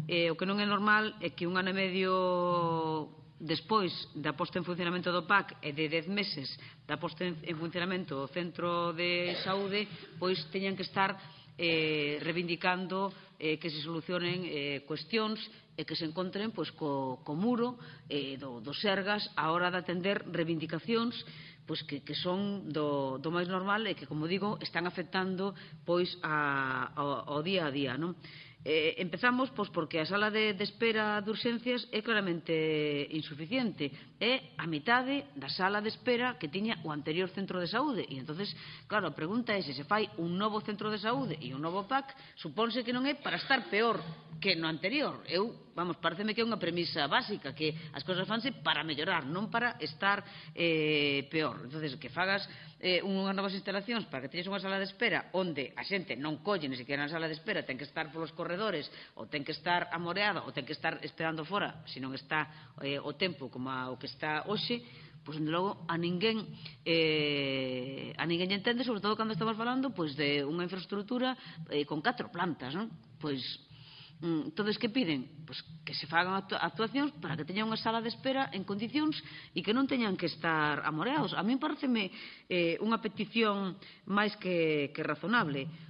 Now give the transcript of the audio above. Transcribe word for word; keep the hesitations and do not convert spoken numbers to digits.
eh, o que non é normal é que un ano e medio despois da posta en funcionamento do P A C e de dez meses da posta en funcionamento do Centro de Saúde, pois teñan que estar eh, reivindicando eh, que se solucionen eh, cuestións e que se encontren pois, co, co muro eh, do, do Sergas a hora de atender reivindicacións pois, que, que son do, do máis normal e que, como digo, están afectando pois, a, ao, ao día a día, non? Eh, empezamos pois, porque a sala de, de espera de urxencias é claramente insuficiente. É a mitade da sala de espera que tiña o anterior centro de saúde. E, entonces, claro, a pregunta é se se fai un novo centro de saúde e un novo P A C, supónse que non é para estar peor que no anterior. Eu, vamos, pareceme que é unha premisa básica, que as cousas fanse para mellorar, non para estar eh, peor. Entonces, que fagas eh, unhas novas instalacións para que teñes unha sala de espera onde a xente non colle ni sequera na sala de espera, ten que estar polos corredores, ou ten que estar amoreada, ou ten que estar esperando fora, se non está eh, o tempo como a, o que está hoxe, pois, dende logo, a ninguén eh, a ninguén lle entende, sobre todo cando estamos falando pois, de unha infraestructura eh, con catro plantas, non? Pois, entonces, que piden? Pois que se fagan actuacións para que teñan unha sala de espera en condicións e que non teñan que estar amoreados. A mí pareceme eh, unha petición máis que, que razonable.